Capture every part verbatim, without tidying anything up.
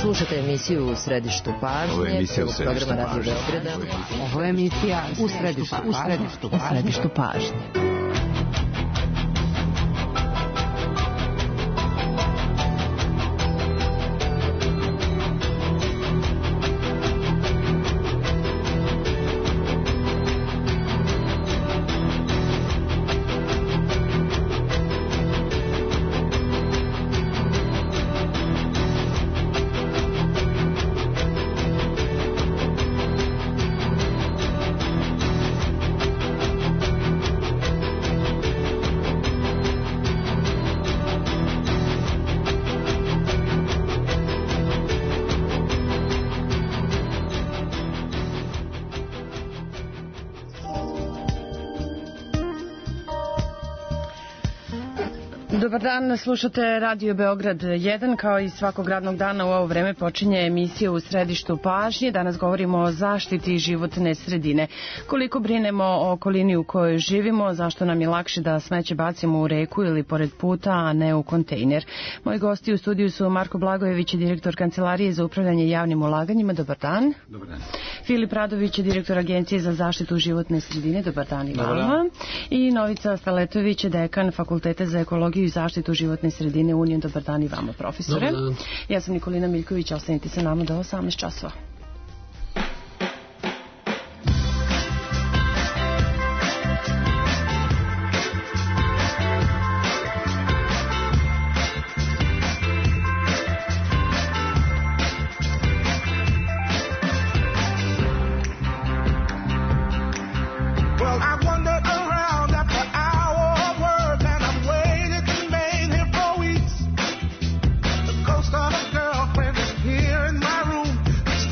Slušate emisiju U središtu pažnje, prvog programa Radio Beograda. Ovo je emisija U središtu, u središtu, u središtu pažnje. Dobar dan, slušate Radio Beograd jedan, kao i svakog radnog dana u ovo vreme počinje emisija U središtu pažnje. Danas govorimo o zaštiti životne sredine. Koliko brinemo o okolini u kojoj živimo, zašto nam je lakše da smeće bacimo u reku ili pored puta, a ne u kontejner. Moji gosti u studiju su Marko Blagojević, direktor Kancelarije za upravljanje javnim ulaganjima. Dobar dan. Dobar dan. Filip Radović, direktor Agencije za zaštitu životne sredine. Dobar dan i vama. I Novica Staletović, dekan Fakulteta za ekologiju i zaštitu životne sredine Union. Dobar dan i vama, profesore. Ja sam Nikolina Miljković, ostanite sa nama do osamnaest časova.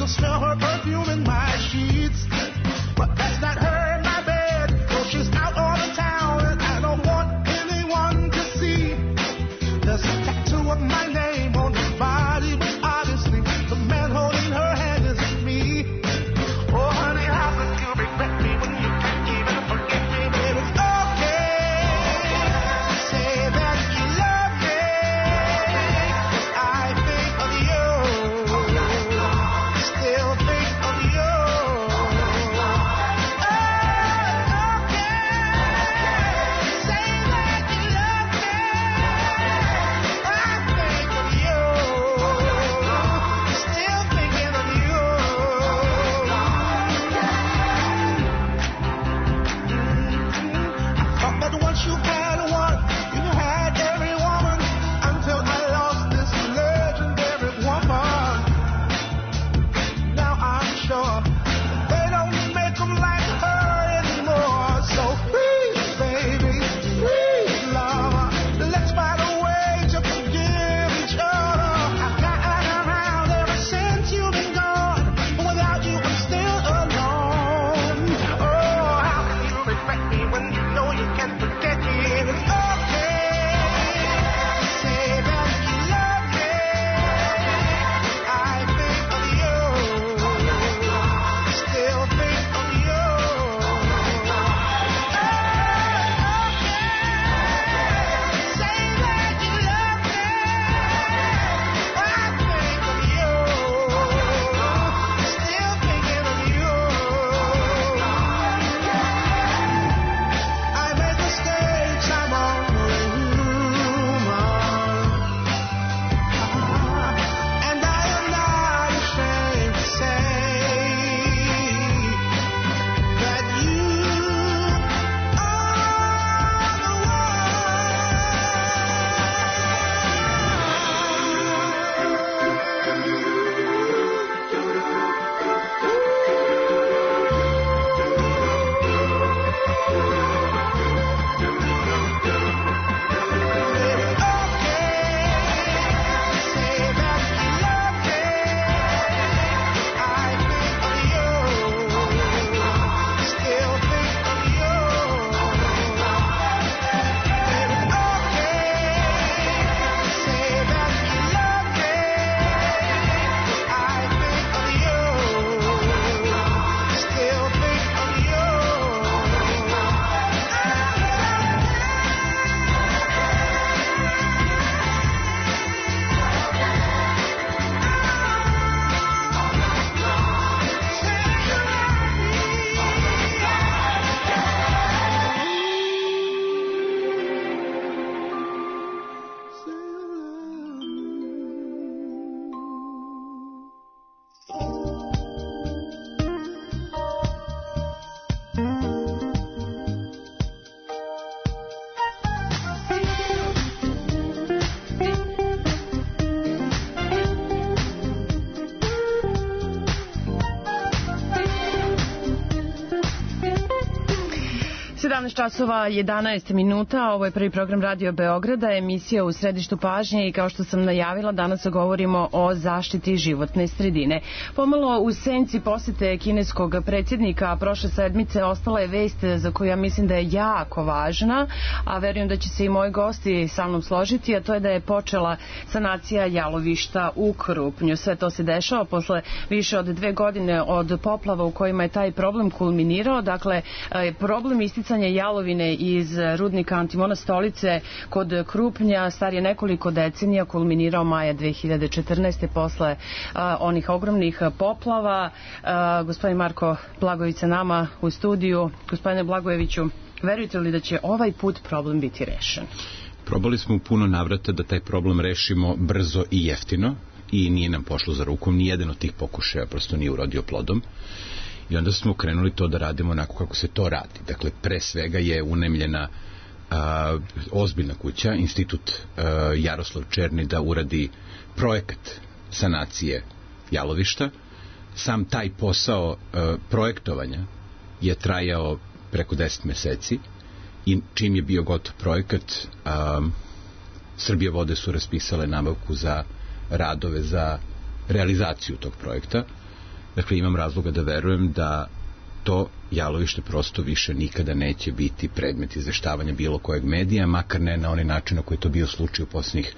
Still šest časova jedanaest minuta, ovo je prvi program Radio Beograda, emisija u središtu pažnje i kao što sam najavila, danas govorimo o zaštiti životne sredine. Pomalo u senci posete kineskog predsjednika prošle sedmice ostala je vest za koju ja mislim da je jako važna, a verujem da će se i moji gosti sa mnom složiti, a to je da je počela sanacija jalovišta u Krupnju. Sve to se dešava posle više od dve godine od poplava u kojima je taj problem kulminirao. Dakle, problem isticanja jalovine iz rudnika Antimona Stolice kod Krupnja star je nekoliko decenija, kulminirao maja dve hiljade četrnaeste. posle a, onih ogromnih poplava. A, gospodin Marko Blagojević sa nama u studiju. Gospodine Blagojeviću, verujete li da će ovaj put problem biti rešen? Probali smo u puno navrata da taj problem rešimo brzo i jeftino i nije nam pošlo za rukom, nijedan od tih pokušaja prosto nije urodio plodom. I onda smo krenuli to da radimo onako kako se to radi. Dakle, pre svega je unemljena a, ozbiljna kuća, institut a, Jaroslav Černi da uradi projekat sanacije jalovišta. Sam taj posao a, projektovanja je trajao preko deset meseci i čim je bio gotov projekat, a, Srbija vode su raspisale nabavku za radove za realizaciju tog projekta. Dakle, imam razloga da verujem da to jalovište prosto više nikada neće biti predmet izveštavanja bilo kojeg medija, makar ne na onaj način na koji je to bio slučaj u poslednjih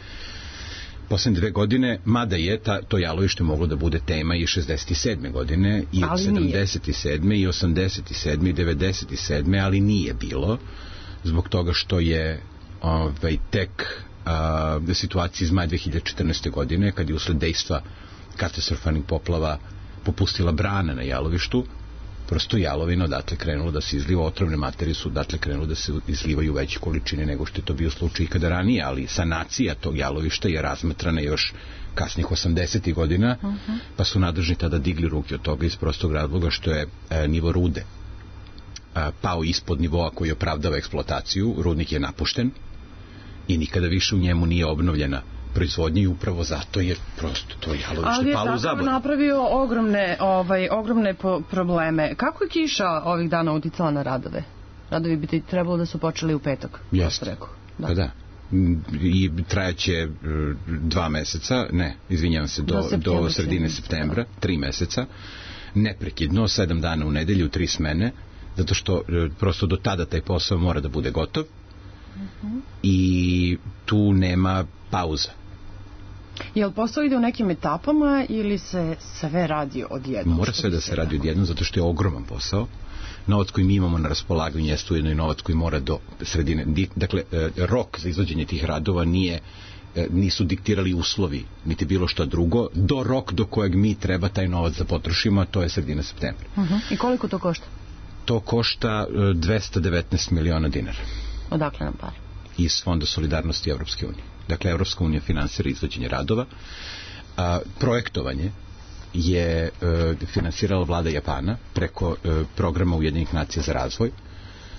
poslednje dve godine, mada je ta, to jalovište moglo da bude tema i šezdeset sedme godine, i ali sedamdeset sedme i osamdeset sedme i devedeset sedme, ali nije bilo, zbog toga što je ovaj, tek a, situacija iz maja dve hiljade četrnaeste. godine, kad je usled dejstva katastrofalnih poplava popustila brana na jalovištu, prosto jalovina odatle krenulo da se izliva, otrovne materije su odatle krenulo da se izlivaju veće količine nego što je to bio slučaj ikada ranije, ali sanacija tog jalovišta je razmatrana još kasnih osamdesetih godina, uh-huh. pa su nadležni tada digli ruke od toga iz prostog razloga što je e, nivo rude e, pao ispod nivoa koji opravdava eksploataciju. Rudnik je napušten i nikada više u njemu nije obnovljena proizvodnje i upravo zato je prosto to jalovište palo u zaborav. Ali je tako napravio ogromne, ovaj, ogromne po probleme. Kako je kiša ovih dana uticala na radove? Radovi bi ti trebalo da su počeli u petak. Jeste. Da. Pa da. I trajaće dva meseca, ne, izvinjavam se, do, do, do sredine septembra, tri meseca, neprekidno, sedam dana u nedelju, tri smene, zato što prosto do tada taj posao mora da bude gotov. Uh-huh. I tu nema pauza. Je li posao ide u nekim etapama ili se sve radi odjednom? Mora sve da se radi odjednom zato što je ogroman posao. Novac koji mi imamo na raspolaganju jeste ujedno i novac koji mora do sredine. Dakle, rok za izvođenje tih radova nije, nisu diktirali uslovi niti bilo šta drugo, do rok do kojeg mi treba taj novac da potrošimo, a to je sredina septembra. Uh-huh. I koliko to košta? To košta dvesta devetnaest miliona dinara. Odakle nam pare? Iz Fonda solidarnosti Evropske unije. Dakle, Evropska unija finansira izvođenje radova. A, projektovanje je e, finansirala vlada Japana preko e, programa Ujedinjenih nacija za razvoj.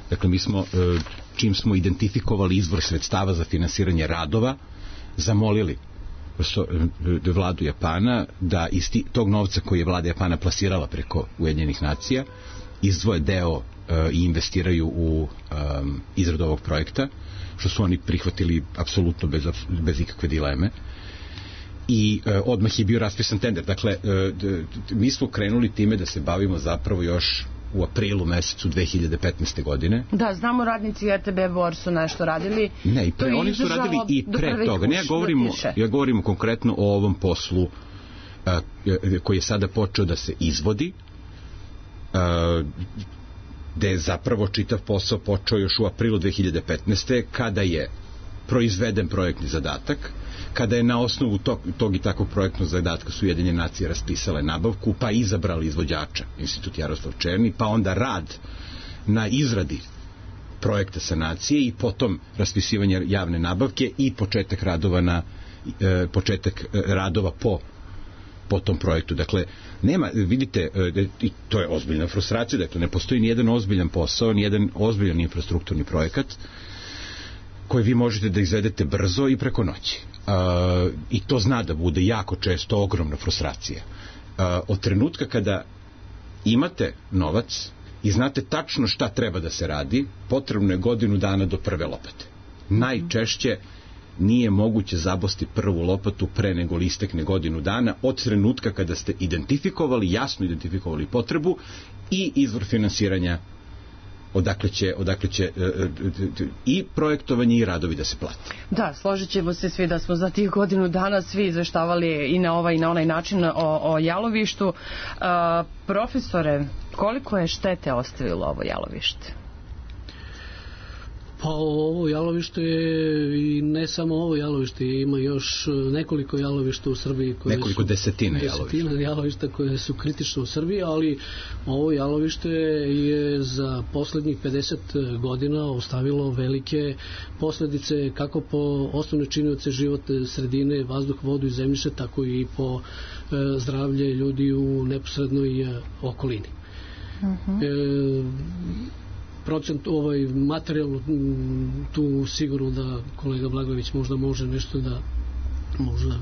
Dakle, mi smo, e, čim smo identifikovali izvor sredstava za finansiranje radova, zamolili prosto, e, vladu Japana da iz tog novca koji je vlada Japana plasirala preko Ujedinjenih nacija izdvoje deo e, i investiraju u e, izradu ovog projekta, što su oni prihvatili apsolutno bez, bez ikakve dileme. I e, odmah je bio raspisan tender. Dakle, e, d, d, mi smo krenuli time da se bavimo zapravo još u aprilu mesecu dve hiljade petnaeste. godine. Da, znamo, radnici R T B Bor su nešto radili. Ne, i pre, oni su radili i pre toga. Ne, ja govorimo, ja govorimo konkretno o ovom poslu a, koji je sada počeo da se izvodi, a, gde je zapravo čitav posao počeo još u aprilu dve hiljade petnaeste. kada je proizveden projektni zadatak, kada je na osnovu tog, tog i takvog projektnog zadatka su Ujedinjene nacije raspisale nabavku, pa izabrali izvođača, institut Jaroslav Černi, pa onda rad na izradi projekta sanacije i potom raspisivanje javne nabavke i početak radova na e, početak radova po po tom projektu. Dakle, nema, vidite, i to je ozbiljna frustracija, dakle, ne postoji nijedan ozbiljan posao, nijedan ozbiljan infrastrukturni projekat koji vi možete da izvedete brzo i preko noći. Uh, I to zna da bude jako često ogromna frustracija. Uh, od trenutka kada imate novac i znate tačno šta treba da se radi, potrebno je godinu dana do prve lopate. Najčešće nije moguće zabosti prvu lopatu pre nego li istekne godinu dana od trenutka kada ste identifikovali, jasno identifikovali potrebu i izvor finansiranja odakle će, odakle će e, e, i projektovanje i radovi da se plati. Da, složit ćemo se svi da smo za tih godinu dana svi izveštavali i na ovaj i na onaj način o, o jalovištu. A, profesore, koliko je štete ostavilo ovo jalovište? Pa ovo jalovište je i ne samo ovo jalovište, ima još nekoliko jalovišta u Srbiji koje nekoliko su, desetina, desetina jalovišta. jalovišta koje su kritične u Srbiji, ali ovo jalovište je za poslednjih pedeset godina ostavilo velike posledice kako po osnovne činioce životne sredine, vazduh, vodu i zemljište, tako i po e, zdravlje ljudi u neposrednoj e, okolini. Uh-huh. E, procent ovaj materijalno tu sigurno da kolega Blagojević možda može nešto da možda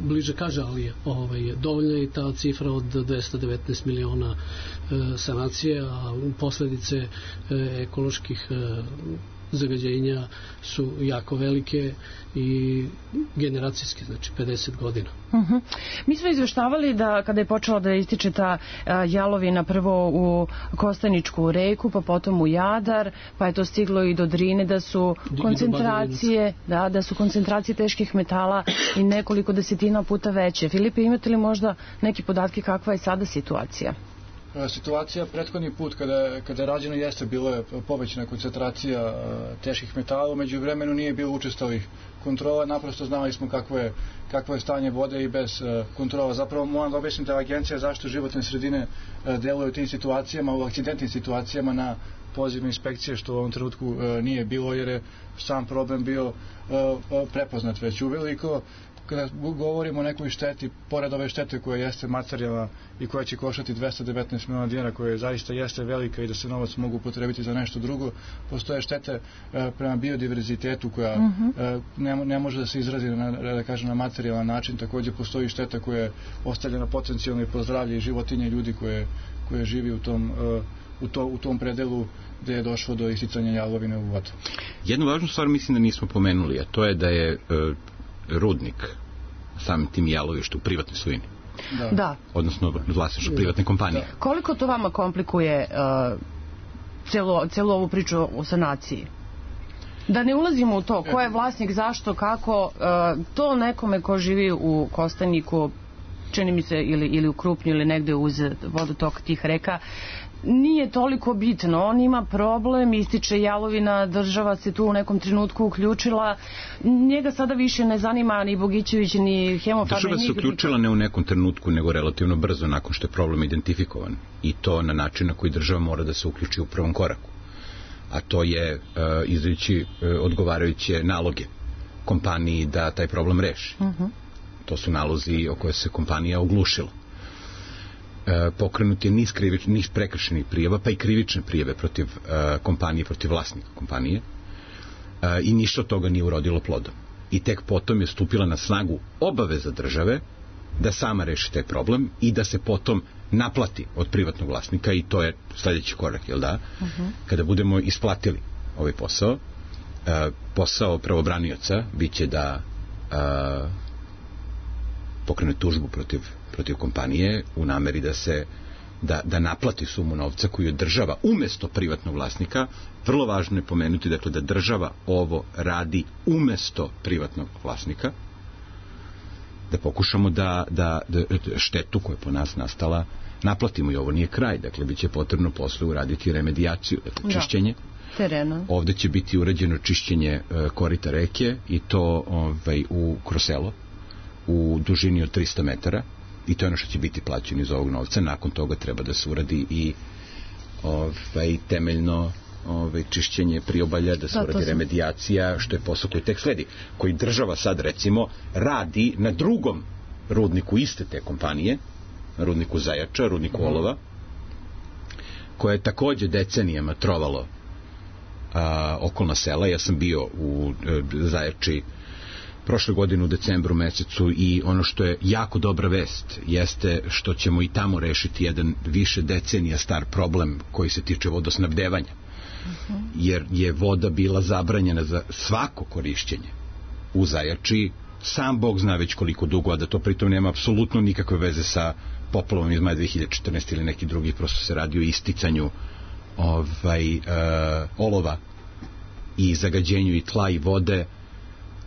bliže kaže, ali ovaj, dovoljna je ta cifra od dvesta devetnaest miliona e, sanacije, a posledice e, ekoloških e, zagađenja su jako velike i generacijske, znači pedeset godina. Uh-huh. Mi smo izveštavali da kada je počela da ističe ta uh, jalovina prvo u Kostaničku reku, pa potom u Jadar, pa je to stiglo i do Drine, da su koncentracije, da, da su koncentracije teških metala i nekoliko desetina puta veće. Filipe, imate li možda neki podatke kakva je sada situacija? Situacija prethodni put kada, kada je rađeno jeste bilo je povećana koncentracija teških metala, među vremenu nije bilo učestalih kontrola, naprosto znali smo kakvo je, kakvo je stanje vode i bez kontrola. Zapravo moram da objasnim da Agencija za zaštitu životne sredine deluje u tim situacijama, u akcidentnim situacijama na pozivne inspekcije, što u ovom trenutku nije bilo jer je sam problem bio prepoznat već uveliko. Kada govorimo o nekoj šteti, pored ove štete koja jeste materijalna i koja će koštati dvesta devetnaest miliona dinara, koja zaista jeste velika i da se novac mogu upotrebiti za nešto drugo, postoje štete e, prema biodiverzitetu koja uh-huh. e, ne, ne može da se izrazi na, da kažem, na materijalan način. Takođe postoji šteta koja je ostavljena potencijalno i po zdravlje i životinje ljudi koje, koje živi u tom, e, u, to, u tom predelu gde je došlo do isticanja jalovine u vodu. Jednu važnu stvar mislim da nismo pomenuli, a to je da je e, rudnik samim tim jalovištu u privatnoj svojini. Da. da. Odnosno vlasništvo privatne kompanije. Da. Koliko to vama komplikuje uh, celo, celu ovu priču o sanaciji? Da ne ulazimo u to ko je vlasnik, zašto, kako, uh, to nekome ko živi u Kostaniku, čini mi se, ili, ili u Krupnju ili negde uz vodotok tih reka, nije toliko bitno. On ima problem, ističe jalovina, država se tu u nekom trenutku uključila. Njega sada više ne zanima ni Bogićević, ni Hemofarm. Država se uključila ne u nekom trenutku, nego relativno brzo nakon što je problem identifikovan. I to na način na koji država mora da se uključi u prvom koraku. A to je uh, izdajući uh, odgovarajuće naloge kompaniji da taj problem reši. Uh-huh. To su nalozi o koje se kompanija oglušila. E, pokrenut je niz, krivič, niz prekršenih prijava, pa i krivične prijave protiv e, kompanije, protiv vlasnika kompanije e, i ništa od toga nije urodilo plodom. I tek potom je stupila na snagu obaveza države da sama reši taj problem i da se potom naplati od privatnog vlasnika i to je sledeći korak, jel da? Uh-huh. Kada budemo isplatili ovaj posao, e, posao pravobranioca biće da e, pokrene tužbu protiv protiv kompanije u nameri da se da, da naplati sumu novca koju je država umesto privatnog vlasnika. Vrlo važno je pomenuti dakle da država ovo radi umesto privatnog vlasnika, da pokušamo da, da, da štetu koja je po nas nastala naplatimo i ovo nije kraj, dakle bit će potrebno posle uraditi remedijaciju, dakle čišćenje terena. Ovde će biti urađeno čišćenje uh, korita reke i to ovaj, u Kroselo u dužini od trista metara i to je ono što će biti plaćeno iz ovog novca. Nakon toga treba da se uradi i ovaj, temeljno ovaj, čišćenje priobalja, da se da, uradi remedijacija, što je posao koji tek sledi, koji država sad recimo radi na drugom rudniku iste te kompanije, rudniku Zajača, rudniku uh-huh. Olova, koje je takođe decenijama trovalo a, okolna sela. Ja sam bio u a, Zajači prošle godine u decembru mesecu i ono što je jako dobra vest jeste što ćemo i tamo rešiti jedan više decenija star problem koji se tiče vodosnabdevanja. Uh-huh. Jer je voda bila zabranjena za svako korišćenje u Zajači, sam Bog zna već koliko dugo, a da to pritom nema apsolutno nikakve veze sa poplavom iz maja dve hiljade četrnaeste ili neki drugi, prosto se radi o isticanju ovaj, uh, olova i zagađenju i tla i vode,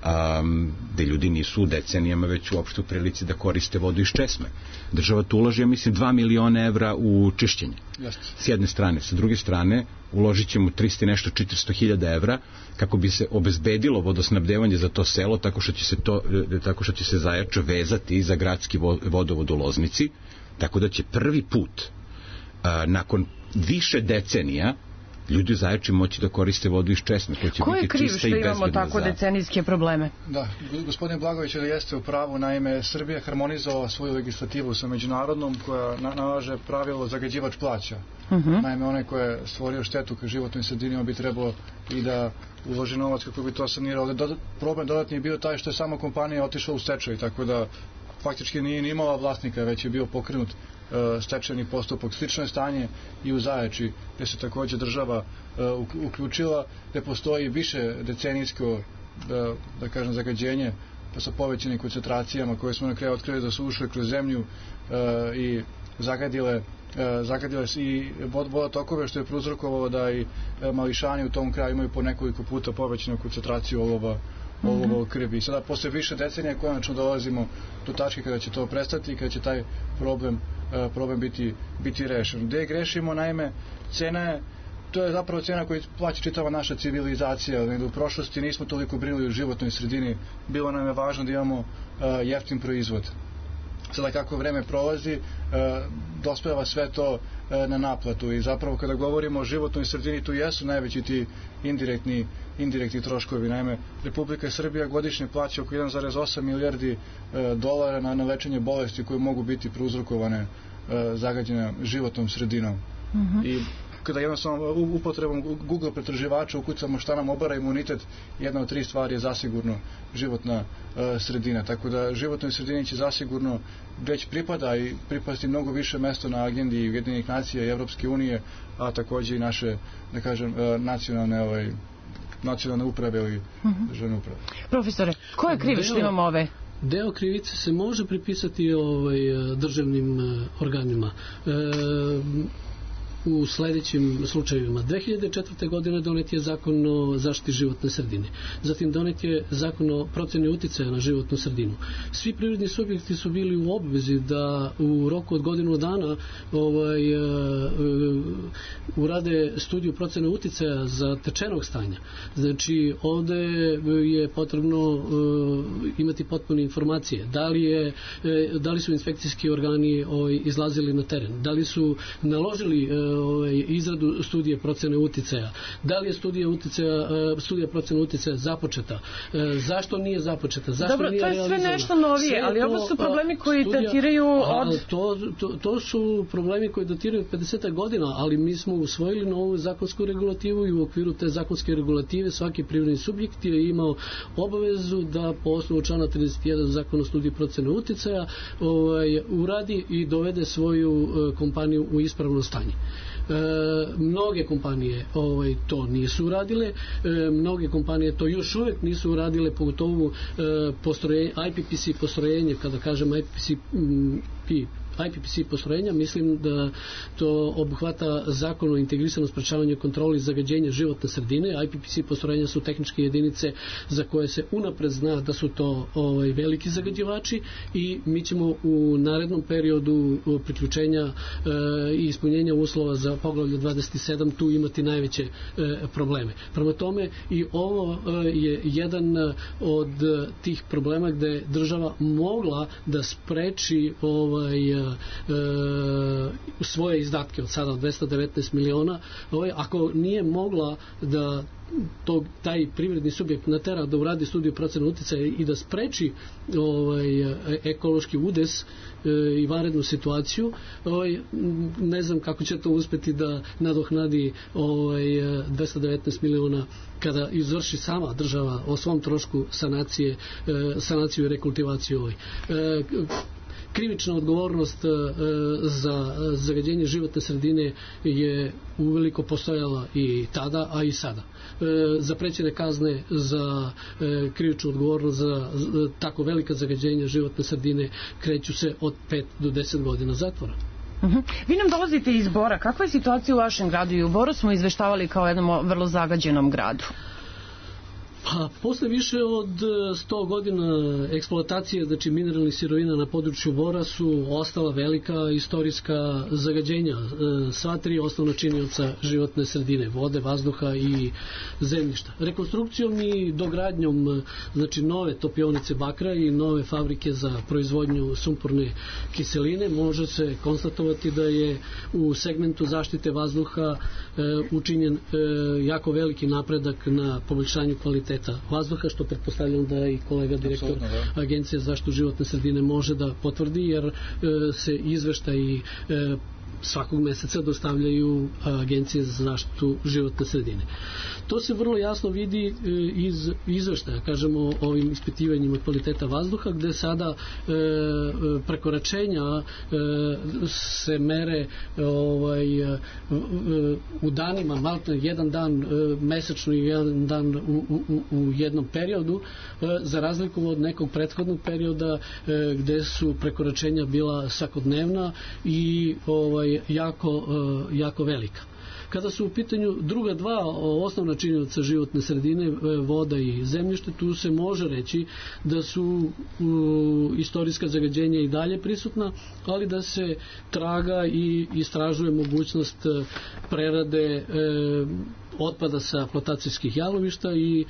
um, gde ljudi nisu u decenijama već uopšte u prilici da koriste vodu iz česme. Država tu uloži, ja mislim, dva miliona evra u čišćenje. Just. S jedne strane. Sa druge strane, uložit ćemo trista nešto četiristo hiljada evra kako bi se obezbedilo vodosnabdevanje za to selo, tako što će se, to, tako što će se Zajača vezati za gradski vodovod u Loznici, tako da će prvi put a, nakon više decenija ljudi u Zajači moći da koriste vodu iz česme. Ko je kriv što imamo tako decenijske probleme? Da, gospodin Blagović jeste u pravu, naime Srbija harmonizovala svoju legislativu sa međunarodnom koja nalaže pravilo zagađivač plaća. Uh-huh. Naime, onaj ko je stvorio štetu ka životnoj sredini bi trebalo i da uloži novac kako bi to sanirao. Dodat, problem dodatni je bio taj što je sama kompanija otišla u stečaj, tako da faktički nije ni imala vlasnika, već je bio pokrenut stečajni postupak. Slično je stanje i u Zajači, gde se takođe država uh, uključila, gde postoji više decenijsko da, da kažem zagađenje pa sa povećanim koncentracijama koje smo na kraju otkrili da su ušle kroz zemlju uh, i zagadile uh, zagadile i vodotokove, što je prouzrokovalo da i uh, mališani u tom kraju imaju po nekoliko puta povećanu koncentraciju olova olova u krvi. I sada posle više decenija konačno dolazimo do tačke kada će to prestati i kada će taj problem problem biti, biti rešen. Gde grešimo, naime, cena je, to je zapravo cena koju plaća čitava naša civilizacija. U prošlosti nismo toliko brinuli o životnoj sredini, bilo nam je važno da imamo uh, jeftin proizvod. Sada kako vreme prolazi, uh, dospeva sve to uh, na naplatu i zapravo kada govorimo o životnoj sredini, tu jesu najveći ti indirektni, indirektni troškovi. Naime, Republika Srbija godišnje plaća oko jedan zarez osam milijardi uh, dolara na, na lečenje bolesti koje mogu biti prouzrokovane uh, zagađene životnom sredinom. Uh-huh. I kada jednostavno upotrebom Google pretraživača ukucamo šta nam obara imunitet, jedna od tri stvari je zasigurno životna uh, sredina. Tako da životnoj sredini će zasigurno već pripada i pripasti mnogo više mesto na agendi Ujedinjenih nacija i Evropske unije, a takođe i naše, da kažem, uh, nacionalne ovaj, nacionalne uprave ili uh-huh. državne uprave. Profesore, ko je kriv što imamo ove? Deo krivice se može pripisati ovaj, državnim organima. E, u sledećim slučajevima. dve hiljade četvrte. godine donet je zakon o zaštiti životne sredine. Zatim donet je zakon o proceni uticaja na životnu sredinu. Svi privredni subjekti su bili u obvezi da u roku od godinu dana ovaj, uh, uh, urade studiju procene uticaja za tečenog stanja. Znači, ovde je potrebno uh, imati potpune informacije. Da li, je, uh, da li su inspekcijski organi ovaj, izlazili na teren? Da li su naložili uh, izradu studije procene uticaja. Da li je studija uticaja, studija procene uticaja započeta? Zašto nije započeta? Zašto Dobro, nije to je realizovana? Sve nešto novije, sve ali ovo su problemi koji studija, datiraju od... To, to, to su problemi koji datiraju od pedeset godina, ali mi smo usvojili novu zakonsku regulativu i u okviru te zakonske regulative svaki privredni subjekt je imao obavezu da po osnovu člana trideset jedan zakona o studiji procene uticaja ovaj, uradi i dovede svoju kompaniju u ispravno stanje. E, mnoge kompanije ovaj, to nisu uradile, e, mnoge kompanije to još uvek nisu uradile, pogotovo e, postrojenje, I P P C postrojenje, kada kažem I P P C P I P P C postrojenja, mislim da to obuhvata zakon o integrisanom sprečavanju i kontroli zagađenja životne sredine. I P P C postrojenja su tehničke jedinice za koje se unapred zna da su to ovaj, veliki zagađivači i mi ćemo u narednom periodu priključenja e, i ispunjenja uslova za poglavlje dvadeset sedam tu imati najveće e, probleme. Prema tome i ovo e, je jedan od tih problema gde država mogla da spreči ovaj, ovaj, e, svoje izdatke od sada dvesta devetnaest miliona, ovaj, ako nije mogla da to, taj privredni subjekt natera da uradi studiju procene uticaja i da spreči ovaj, ekološki udes e, i vanrednu situaciju, ovaj, ne znam kako će to uspeti da nadohnadi ovaj, dvesta devetnaest miliona kada izvrši sama država o svom trošku sanacije, e, sanaciju i rekultivaciju ovaj. E, krivična odgovornost e, za zagađenje životne sredine je uveliko postojala i tada, a i sada. E, zaprećene kazne za e, krivičnu odgovornost za, za tako velika zagađenja životne sredine kreću se od pet do deset godina zatvora. Uh-huh. Vi nam dolazite iz Bora. Kakva je situacija u vašem gradu? I u Boru smo izveštavali kao jednom vrlo zagađenom gradu. Pa, posle više od sto godina eksploatacije, znači mineralnih sirovina na području Bora, su ostala velika istorijska zagađenja. Sva tri osnovna činioca životne sredine, vode, vazduha i zemljišta. Rekonstrukcijom i dogradnjom, znači nove topionice bakra i nove fabrike za proizvodnju sumporne kiseline, može se konstatovati da je u segmentu zaštite vazduha e, učinjen e, jako veliki napredak na poboljšanju kvaliteta vazduha, što pretpostavljam da i kolega direktor da. Agencije za zaštitu životne sredine može da potvrdi, jer e, se izveštaji e, svakog meseca dostavljaju Agencije za zaštitu životne sredine. To se vrlo jasno vidi iz izveštaja, kažemo, o ovim ispitivanjima kvaliteta vazduha, gde sada e, prekoračenja e, se mere ovaj, e, u danima, maltene jedan dan e, mesečno i jedan dan u, u, u jednom periodu, e, za razliku od nekog prethodnog perioda e, gde su prekoračenja bila svakodnevna i ovaj, jako, jako velika. Kada su u pitanju druga dva osnovna činioca životne sredine, voda i zemljište, tu se može reći da su u, istorijska zagađenja i dalje prisutna, ali da se traga i istražuje mogućnost prerade e, otpada sa flotacijskih jalovišta i e,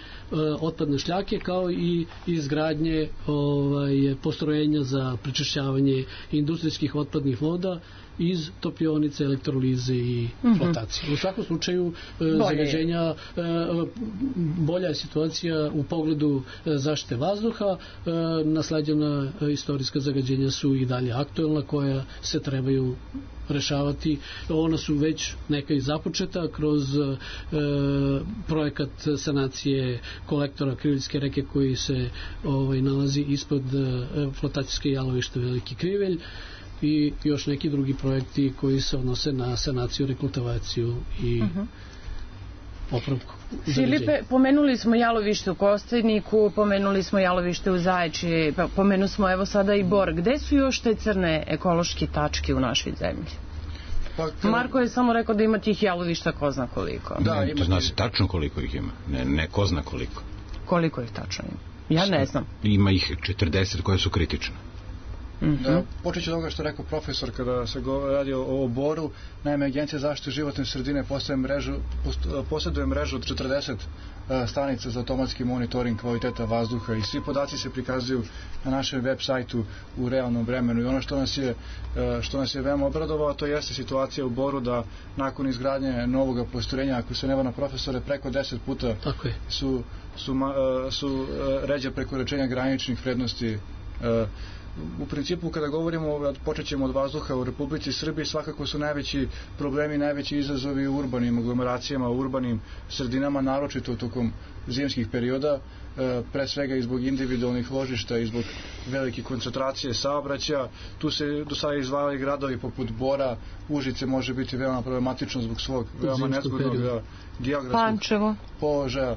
otpadne šljake, kao i izgradnje ovaj, postrojenja za prečišćavanje industrijskih otpadnih voda iz topionice, elektrolize i flotacije. Mm-hmm. U svakom slučaju e, zagađenja, e, bolja je situacija u pogledu e, zaštite vazduha, e, nasleđena e, istorijska zagađenja su i dalje aktuelna, koja se trebaju rešavati. Ona su već neka i započeta kroz e, projekat sanacije kolektora Kriveljske reke, koji se ovaj, nalazi ispod e, flotacijske jalovište Veliki Krivelj, i još neki drugi projekti koji se odnose na sanaciju, rekultivaciju i uh-huh. popravku. Filipe, pomenuli smo jalovište u Kostajniku, pomenuli smo jalovište u Zaječji, pomenuli smo evo sada i Bor. Gde su još te crne ekološke tačke u našoj zemlji? Pa, kada... Marko je samo rekao da ima tih jalovišta ko zna koliko. Da, ne, to zna se tačno koliko ih ima, ne, ne ko zna koliko. Koliko ih tačno ima? Ja ne znam. Ima ih četrdeset koje su kritične. Mm-hmm. Da, počet ću od ovoga što je rekao profesor kada se radi o, o Boru. Naime, Agencija za zaštitu životne sredine posjeduje mrežu od četrdeset uh, stanica za automatski monitoring kvaliteta vazduha i svi podaci se prikazuju na našem web sajtu u realnom vremenu. I ono što nas je, uh, što nas je veoma obradovalo, to jeste situacija u Boru da nakon izgradnje novog postrojenja, ako se ne vara na profesore, preko deset puta su, su, uh, su uh, ređa prekoračenja graničnih vrednosti. Uh, U principu, kada govorimo, počet ćemo od vazduha u Republici Srbiji, svakako su najveći problemi, najveći izazovi u urbanim aglomeracijama, u urbanim sredinama, naročito tokom zimskih perioda, pre svega i zbog individualnih ložišta i zbog velike koncentracije saobraćaja. Tu se do sada izdvajali gradovi poput Bora, Užice može biti veoma problematično zbog svog veoma nezgodnog geografskog položaja.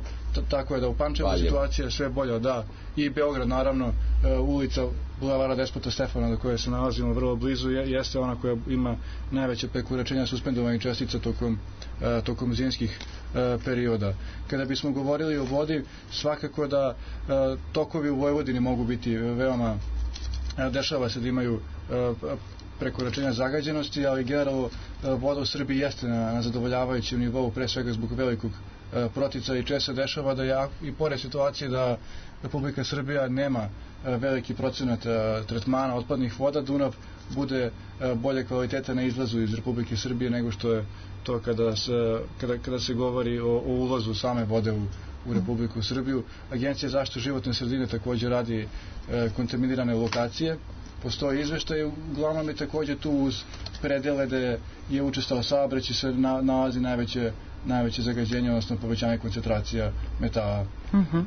Tako je da u Pančevu situacija je sve bolja, da, i Beograd naravno, ulica Bulevara Despota Stefana do koje se nalazimo vrlo blizu jeste ona koja ima najveće prekoračenja suspendovanih čestica tokom, tokom zimskih perioda. Kada bismo govorili o vodi, svakako da tokovi u Vojvodini mogu biti veoma, dešava se da imaju prekoračenja zagađenosti, ali generalno voda u Srbiji jeste na, na zadovoljavajućem nivou, pre svega zbog velikog protica i često dešava da ja, i pored situacije da Republika Srbija nema veliki procenat tretmana otpadnih voda, Dunav bude bolje kvaliteta na izlazu iz Republike Srbije nego što je to kada se, kada, kada se govori o, o ulazu same vode u, u Republiku Srbiju. Agencija za zaštitu životne sredine također radi e, kontaminirane lokacije. Postoji izveštaj, uglavnom je također tu uz predele gde je učestao saobraćaj se na, nalazi najveće najveće zagađenje, odnosno povećanje koncentracija metala. Uh-huh.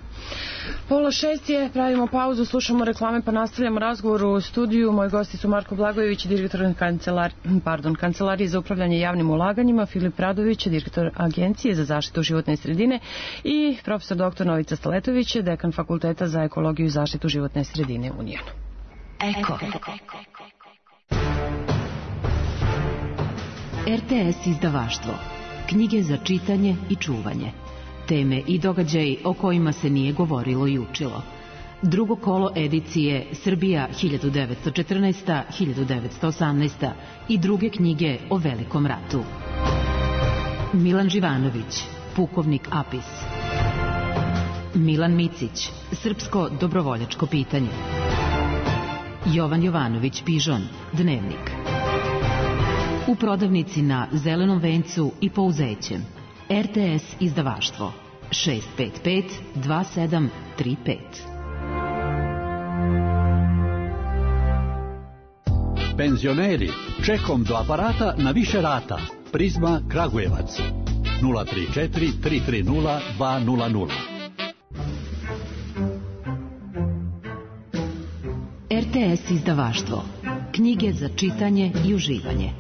Pola šest je, pravimo pauzu, slušamo reklame pa nastavljamo razgovor u studiju. Moji gosti su Marko Blagojević, direktor kancelar, pardon, Kancelarije za upravljanje javnim ulaganjima, Filip Radović, direktor Agencije za zaštitu životne sredine i profesor doktor Novica Staletović, dekan Fakulteta za ekologiju i zaštitu životne sredine u Unijanu. Eko. R T S izdavaštvo. Knjige za čitanje i čuvanje. Teme i događaji o kojima se nije govorilo i učilo. Drugo kolo edicije Srbija hiljadu devetsto četrnaesta do hiljadu devetsto osamnaesta. i druge knjige o Velikom ratu. Milan Živanović, pukovnik Apis. Milan Micić, srpsko dobrovoljačko pitanje. Jovan Jovanović Pižon, Dnevnik. U prodavnici na Zelenom vencu i Pouzećem. R T S izdavaštvo šest pet pet dva sedam tri pet. Penzioneri, čekom do aparata na više rata. Prizma Kragujevac nula tri četiri tri tri nula dva nula nula. R T S izdavaštvo. Knjige za čitanje i uživanje.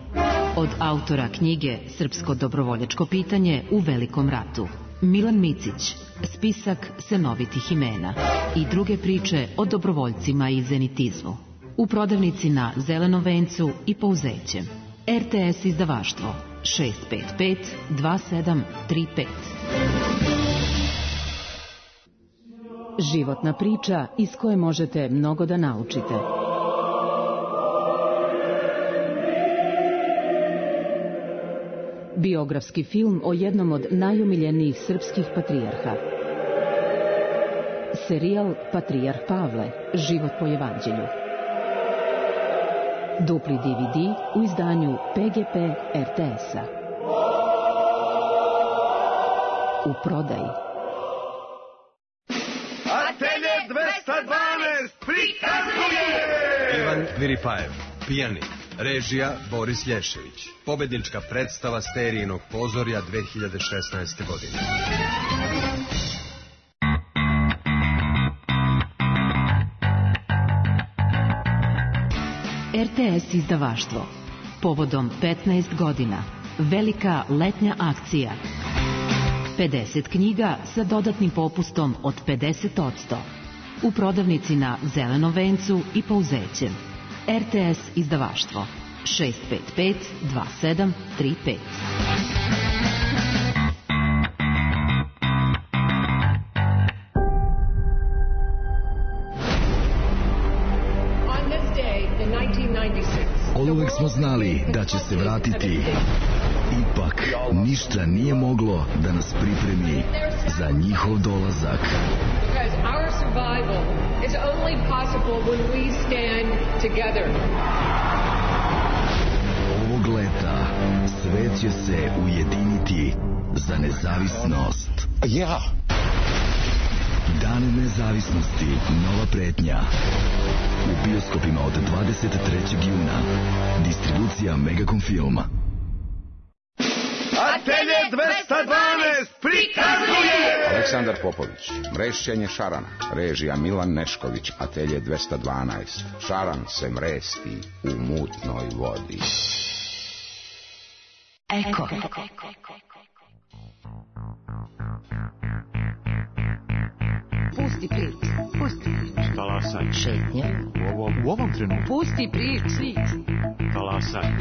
Od autora knjige Srpsko dobrovoljačko pitanje u Velikom ratu. Milan Micić, spisak senovitih imena i druge priče o dobrovoljcima i zenitizmu. U prodavnici na Zelenom vencu i Pouzećem. R T S izdavaštvo šest pet pet dva sedam tri pet. Životna priča iz koje možete mnogo da naučite. Biografski film o jednom od najomiljenijih srpskih patrijarha. Serijal Patrijarh Pavle, život po evanđelju. Dupli D V D u izdanju P G P R T S-a. U prodaji. Atelje dvesta dvanaest prikazuje! Ivan Viripajev, pijanik. Režija Boris Lješević. Pobednička predstava Sterijinog pozorja dve hiljade šesnaeste. godine. R T S izdavaštvo. Povodom petnaest godina. Velika letnja akcija. pedeset knjiga sa dodatnim popustom od pedeset posto. U prodavnici na Zelenom vencu i Pouzećem. R T S izdavaštvo šest pet pet dva sedam tri pet. Oduvek smo znali da će se vratiti. Ipak, ništa nije moglo da nas pripremi za njihov dolazak. Ovog leta svet će se ujediniti za nezavisnost. Ja! Dan nezavisnosti, nova pretnja. U bioskopima od dvadeset trećeg juna. Distribucija Megacom Filma. Atelje dvesta dvanaest prikazuje! Aleksandar Popović, Mrešćenje šarana. Režija Milan Nešković, Atelje dvesta dvanaest. Šaran se mresti u mutnoj vodi. Eko. Pusti prič, pusti prič. Talasaj. Šetnja. U ovom, u ovom trenutku. Pusti prič, prič. Talasaj.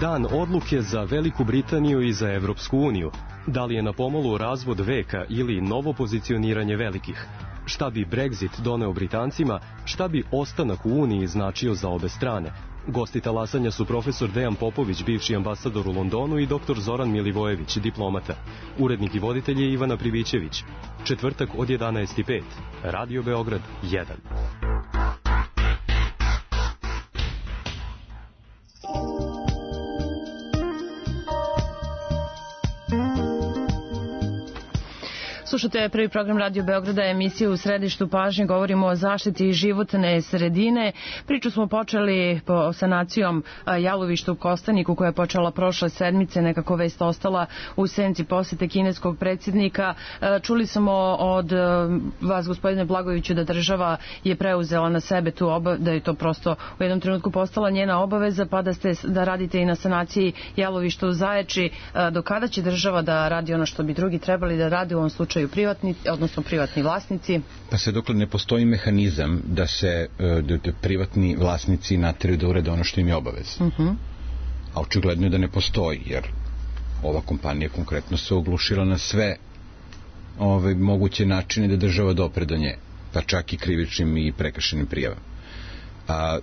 Dan odluke za Veliku Britaniju i za Evropsku uniju. Da li je na pomolu razvod veka ili novo pozicioniranje velikih? Šta bi Brexit doneo Britancima? Šta bi ostanak u Uniji značio za obe strane? Gosti talasanja su profesor Dejan Popović, bivši ambasador u Londonu, i doktor Zoran Milivojević, diplomata. Urednik i voditelj je Ivana Privićević. Četvrtak od jedanaest i pet. Radio Beograd jedan. Slušate prvi program Radio Beograda, emisiju U središtu pažnje. Govorimo o zaštiti životne sredine. Priču smo počeli po sanacijom jalovišta u Kostaniku, koja je počela prošle sedmice, nekako vest ostala u senci posete kineskog predsjednika. Čuli smo od vas, gospodine Blagojeviću, da država je preuzela na sebe tu obavezu, da je to prosto u jednom trenutku postala njena obaveza, pa da, ste, da radite i na sanaciji jalovišta u Zaječi. Do kada će država da radi ono što bi drugi trebali da radi, u ovom slučaju privatni, odnosno privatni vlasnici? Pa sve dokle ne postoji mehanizam da se da, da privatni vlasnici nateraju da urede ono što im je obavez. Uh-huh. A očigledno je da ne postoji, jer ova kompanija konkretno se oglušila na sve ove moguće načine da država dopre do nje, pa čak i krivičnim i prekršenim prijavama. A,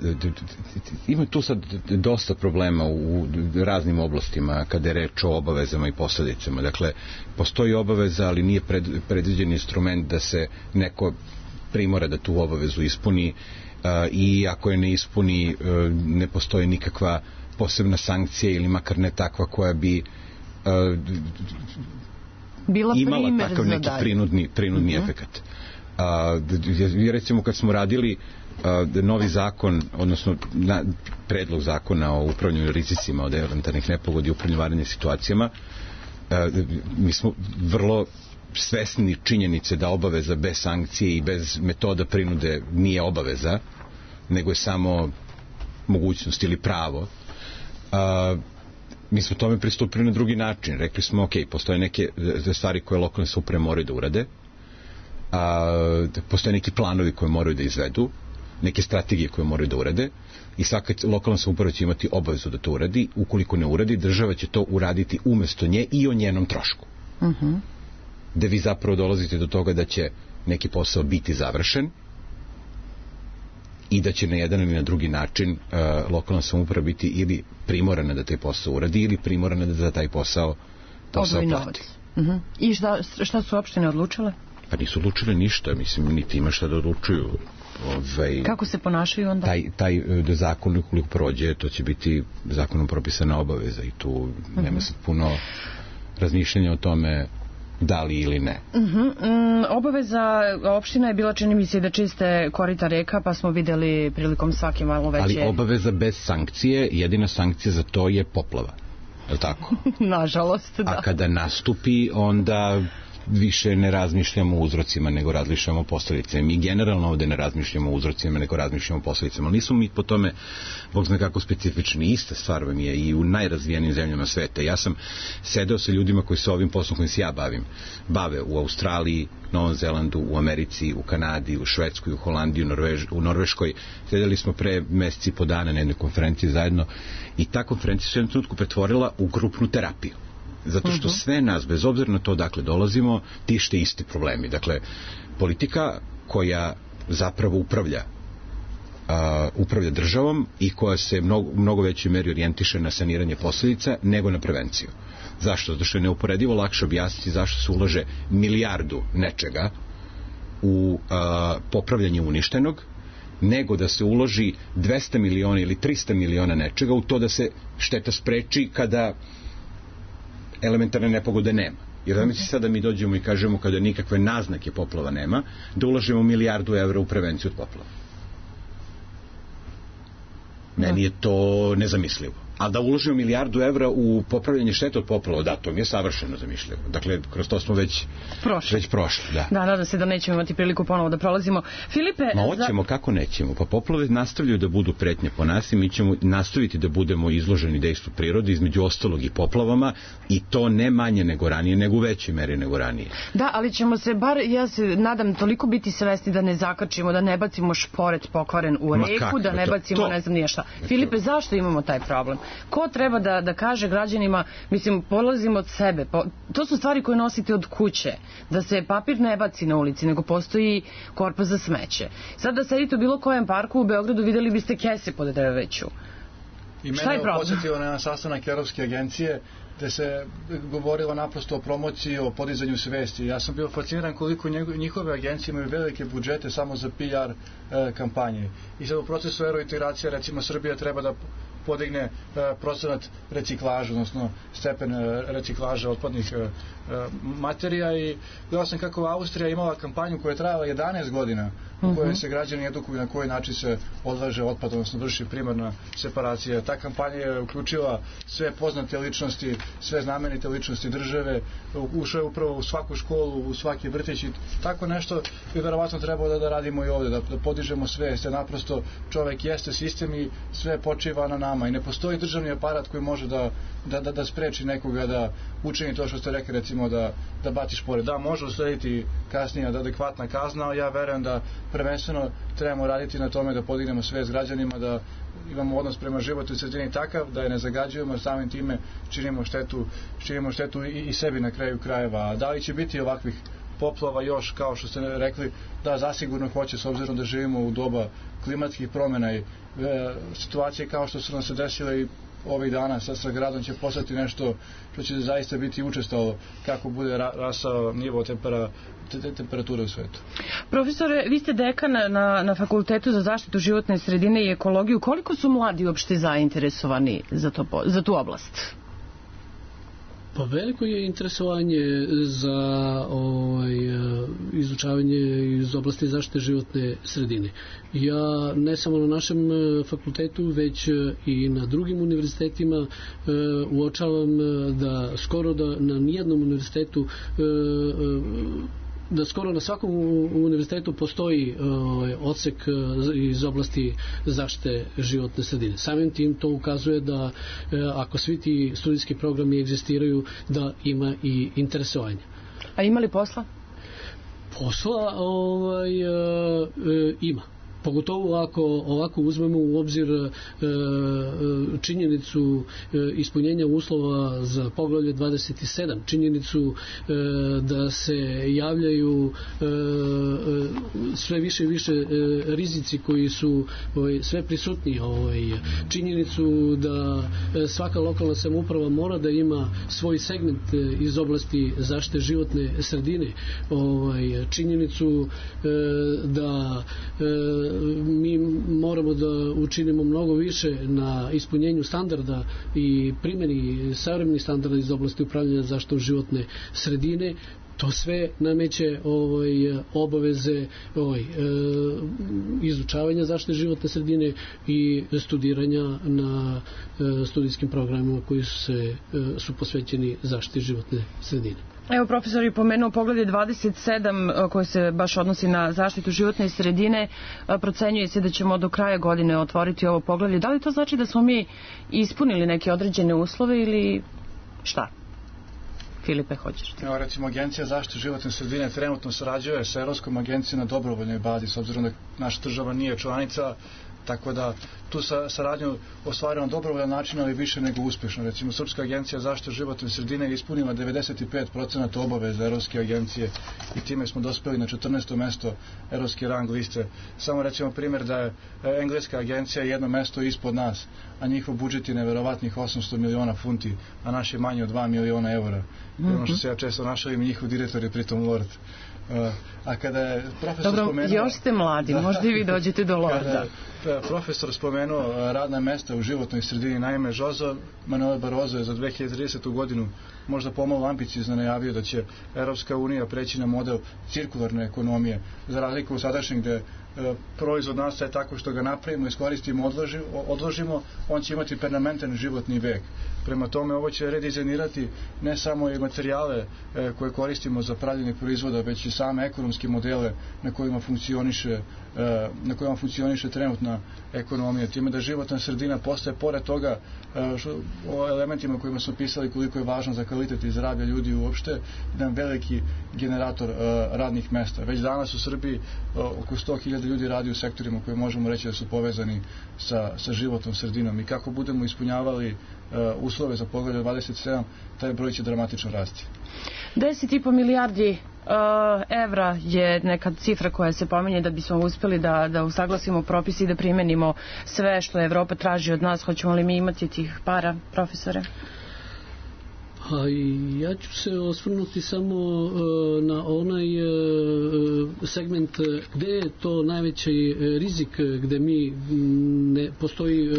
ima tu sad dosta problema u raznim oblastima kada je reč o obavezama i posledicama. Dakle, postoji obaveza, ali nije pred, predviđen instrument da se neko primora da tu obavezu ispuni, a, i ako je ne ispuni, a, ne postoji nikakva posebna sankcija ili makar ne takva koja bi a, bila imala takav neki prinudni, prinudni mm-hmm. efekat. A, recimo kad smo radili Uh, novi zakon, odnosno na, predlog zakona o upravljanju rizicima od elementarnih nepogodi i upravljanju vanrednim situacijama, uh, mi smo vrlo svesni činjenice da obaveza bez sankcije i bez metoda prinude nije obaveza, nego je samo mogućnost ili pravo. Uh, mi smo tome pristupili na drugi način. Rekli smo, ok, postoje neke stvari koje lokalne samouprave moraju da urade, uh, postoje neki planovi koje moraju da izvedu, neke strategije koje moraju da urade, i svaka lokalna samouprava će imati obavezu da to uradi. Ukoliko ne uradi, država će to uraditi umesto nje i o njenom trošku. Uh-huh. Da vi zapravo dolazite do toga da će neki posao biti završen i da će na jedan ili na drugi način uh, lokalna samouprava biti ili primorana da taj posao uradi ili primorana da za taj posao posao plati. Uh-huh. I šta, šta su opštine odlučile? Pa nisu odlučile ništa, mislim, niti ima šta da odlučuju. Ovaj, kako se ponašaju onda? Taj, taj da zakon ukoliko prođe, to će biti zakonom propisana obaveza i tu uh-huh. nema sad puno razmišljanja o tome da li ili ne. Uh-huh. Mm, obaveza opština je bila, čini mi se, da čiste korita reka, pa smo videli prilikom svake malo veće... Ali obaveza bez sankcije, jedina sankcija za to je poplava. Je li tako? Nažalost, da. A kada nastupi, onda više ne razmišljamo o uzrocima nego razmišljamo o posledicama. Mi generalno ovde ne razmišljamo o uzrocima nego razmišljamo o posledicama. Ali nismo mi po tome, Bog zna kako specifični. Ista stvar vam je i u najrazvijenijim zemljama sveta. Ja sam sedeo sa ljudima koji se ovim poslom kojim se ja bavim bave u Australiji, Novom Zelandu, u Americi, u Kanadi, u Švedskoj, u Holandiji, u, Norvež, u Norveškoj. Sedeli smo pre meseci i po dana na jednoj konferenciji zajedno i ta konferencija se u jednom trenutku pretvorila u grupnu terapiju. Zato što sve nas, bez obzira na to dakle dolazimo, tište isti problemi. Dakle, politika koja zapravo upravlja uh, upravlja državom i koja se mnogo, mnogo većoj meri orijentiše na saniranje posljedica nego na prevenciju. Zašto? Zato što je neuporedivo lakše objasniti zašto se ulaže milijardu nečega u uh, popravljanje uništenog, nego da se uloži dvesta miliona ili trista miliona nečega u to da se šteta spreči kada elementarne nepogode nema. Jer da mi se sada mi dođemo i kažemo kada nikakve naznake poplava nema, da ulažemo milijardu evra u prevenciju od poplava. Meni je to nezamislivo. A da uložimo milijardu evra u popravljanje štete od poplava, da, to mi je savršeno zamišljivo. Dakle, kroz to smo već prošli. Već prošli, da. Da, nadam se da nećemo imati priliku ponovo da prolazimo. Filipe... Ma hoćemo, za... kako nećemo? Pa poplave nastavljaju da budu pretnje po nas i mi ćemo nastaviti da budemo izloženi dejstvu prirode, između ostalog i poplavama, i to ne manje nego ranije, nego u većoj meri nego ranije. Da, ali ćemo se bar, ja se nadam, toliko biti svesni da ne zakačimo, da ne bacimo šporet pokvaren u reku, da ne bacimo, to, to... ne znam nije šta. Filipe, zašto imamo taj problem? Ko treba da, da kaže građanima, mislim, polazimo od sebe, po, to su stvari koje nosite od kuće, da se papir ne baci na ulici, nego postoji korpa za smeće. Sad da sedite u bilo kojem parku u Beogradu, videli biste kese pod drveću. I mene je podsjetilo na jedan sastanak Europske agencije gde se govorilo naprosto o promociji, o podizanju svesti. Ja sam bio fasciniran koliko njihove agencije imaju velike budžete samo za P R e, kampanje. I sad u procesu eurointegracije, recimo, Srbija treba da podigne e, procenat reciklaža, odnosno stepen e, reciklaža otpadnih e, materija, i gledao sam kako Austrija imala kampanju koja je trajala jedanaest godina, u kojoj se građani edukuju na koji način se odlaže otpad, odnosno vrši primarna separacija. Ta kampanja je uključila sve poznate ličnosti, sve znamenite ličnosti države, ušla je upravo u svaku školu, u svaki vrtić, i tako nešto bi verovatno trebalo da, da radimo i ovde, da, da podižemo svest, jer naprosto čovek jeste sistem i sve počiva na nama i ne postoji državni aparat koji može da, da, da, da spreči nekoga da učini to što ste rekli, recimo da, da baci špore. Da, može uslediti kasnije adekvatna kazna, ali ja verujem da prvenstveno trebamo raditi na tome da podignemo svest građanima, da imamo odnos prema životnoj sredini takav da je ne zagađujemo, samim time činimo štetu, činimo štetu i, i sebi na kraju krajeva. Da li će biti ovakvih poplava još, kao što ste rekli, da, zasigurno hoće, s obzirom da živimo u doba klimatskih promjena i e, situacije kao što su nam se desile i ovih dana sa, sa gradom će postati nešto što će zaista biti učestalo kako bude ra, rasao nivo tempera, te, temperature u svetu. Profesore, vi ste dekan na, na Fakultetu za zaštitu životne sredine i ekologiju. Koliko su mladi uopšte zainteresovani za, to, za tu oblast? Pa veliko je interesovanje za ovaj, izučavanje iz oblasti zaštite životne sredine. Ja ne samo na našem fakultetu, već i na drugim univerzitetima uočavam da skoro da na nijednom univerzitetu da skoro na svakom univerzitetu postoji ovaj, odsek iz oblasti zaštite životne sredine. Samim tim to ukazuje da ako svi ti studijski programi egzistiraju, da ima i interesovanja. A ima li posla? Posla ovaj, ima. Pogotovo ako ovako uzmemo u obzir e, činjenicu e, ispunjenja uslova za poglavlje dvadeset sedam, činjenicu e, da se javljaju e, sve više i više e, rizici koji su ovaj, sve prisutni, ovaj, činjenicu da svaka lokalna samouprava mora da ima svoj segment iz oblasti zaštite životne sredine, ovaj, činjenicu e, da e, mi moramo da učinimo mnogo više na ispunjenju standarda i primjeni savremenih standarda iz oblasti upravljanja zaštitom životne sredine. To sve nameće ovaj, obaveze ovaj, izučavanja zaštite životne sredine i studiranja na studijskim programima koji su, se, su posvećeni zaštiti životne sredine. Evo, profesor je pomenuo poglavlje dvadeset sedam koje se baš odnosi na zaštitu životne sredine. Procenjuje se da ćemo do kraja godine otvoriti ovo poglavlje. Da li to znači da smo mi ispunili neke određene uslove ili šta? Filipe, hoćeš ti? Evo, recimo, Agencija zaštite životne sredine trenutno sarađuje sa Evropskom agencijom na dobrovoljnoj bazi, s obzirom da naša država nije članica, tako da tu sa, saradnju ostvarimo na dobrovoljan način, ali više nego uspješno. Recimo, Srpska agencija zaštite životne sredine je ispunila devedeset pet posto obaveza Evropske agencije i time smo dospeli na četrnaesto mesto Evropske rang liste. Samo recimo primjer da je Engleska agencija jedno mesto ispod nas, a njihov budžet je neverovatnih osamsto miliona funti, a naš je manje od dva miliona eura. Mm-hmm. Ono što se ja često našalim, njihov direktor je pritom lord. Uh, a kada je profesor Dobro, spomenuo... još ste mladi, možda i vi dođete do lorda. Kada je profesor spomenuo radna mesta u životnoj sredini, naime, Jose Manuel Barroso je za dve hiljade tridesetu godinu možda pomalo ambiciozno najavio da će Evropska unija preći na model cirkularne ekonomije, za razliku u sadašnjeg gde proizvod nastaje tako što ga napravimo, iskoristimo, odložimo, odložimo, on će imati permanentan životni vek. Prema tome, ovo će redizajnirati ne samo i materijale e, koje koristimo za pravljenje proizvoda, već i same ekonomske modele na kojima funkcioniše, e, na kojima funkcioniše trenutna ekonomija. Time da životna sredina postaje, pored toga, e, što, o elementima kojima smo pisali koliko je važno za kvalitet i zdravlje ljudi uopšte, jedan veliki generator e, radnih mesta. Već danas u Srbiji e, oko sto hiljada ljudi radi u sektorima koje možemo reći da su povezani sa, sa životnom sredinom, i kako budemo ispunjavali uh, uslove za poglavlje dvadeset sedam, taj broj će dramatično rasti. deset i po milijardi evra je neka cifra koja se pominje da bismo uspeli da, da usaglasimo propisi i da primenimo sve što Evropa traži od nas. Hoćemo li mi imati tih para, profesore? A ja ću se osvrnuti samo uh, na onaj uh, segment gde je to najveći rizik, gde mi ne postoji,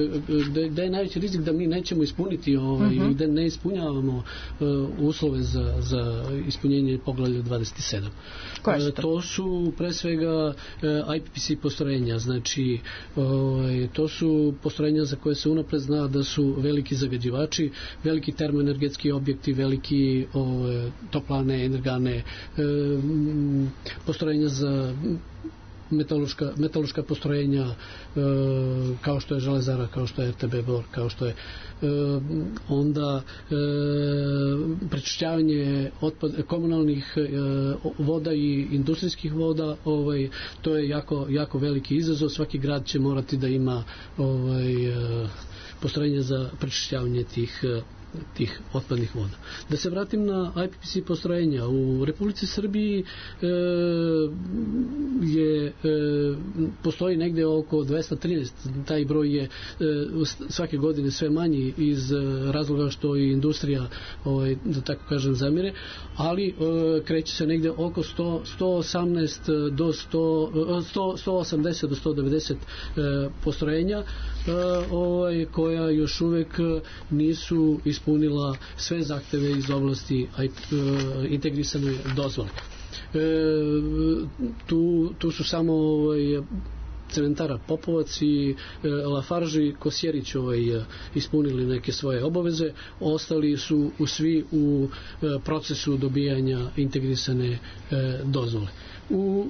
gde, gde je najveći rizik da mi nećemo ispuniti ovaj, uh-huh. gde ne ispunjavamo uh, uslove za, za ispunjenje poglavlja dvadeset sedam. Koje su to? To su pre svega uh, I P P C postrojenja, znači uh, to su postrojenja za koje se unapred zna da su veliki zagađivači, veliki termoenergetski objekti, veliki o, toplane, energane, e, postrojenja za metaloška, metaloška postrojenja e, kao što je železara, kao što je R T B Bor, kao što je e, onda e, prečišćavanje otpad, komunalnih e, voda i industrijskih voda, ovaj, to je jako, jako veliki izazov. Svaki grad će morati da ima ovaj, e, postrojenje za prečišćavanje tih tih otpadnih voda. Da se vratim na I P P C postrojenja. U Republici Srbiji e, je e, postoji negde oko dvesta trinaest. Taj broj je e, svake godine sve manji iz razloga što i industrija, ovaj, da tako kažem, zamire, ali e, kreće se negde oko sto, sto osamnaest do sto, sto, sto osamdeset do sto devedeset e, postrojenja e, ovaj, koja još uvek nisu ispunila sve zahteve iz oblasti integrisane dozvole. E, tu, tu su samo ovaj, cementara Popovac i e, Lafarge i Kosjerić ovaj, ispunili neke svoje obaveze, ostali su u svi u e, procesu dobijanja integrisane e, dozvole. U,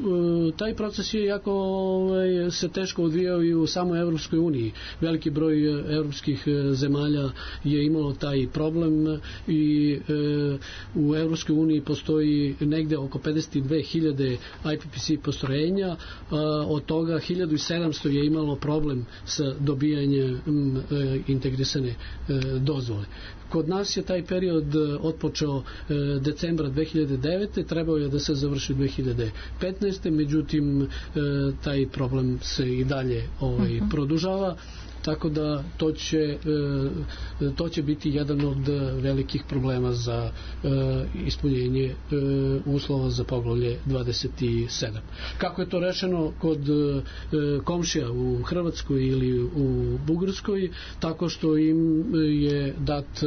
e, taj proces je jako ovaj, se teško odvijao i u samoj Evropskoj uniji. Veliki broj evropskih zemalja je imalo taj problem i e, u Evropskoj uniji postoji negde oko pedeset dve hiljade I P P C postrojenja, a, od toga hiljadu sedamsto je imalo problem sa dobijanjem m, e, integrisane e, dozvole. Kod nas je taj period otpočeo e, decembra dve hiljade devete. Trebao je da se završi dve hiljade petnaeste. Međutim, e, taj problem se i dalje ovaj, uh-huh. produžava. Tako da to će, to će biti jedan od velikih problema za ispunjenje uslova za poglavlje dvadeset sedam. Kako je to rešeno kod komšija u Hrvatskoj ili u Bugarskoj? Tako što im je dat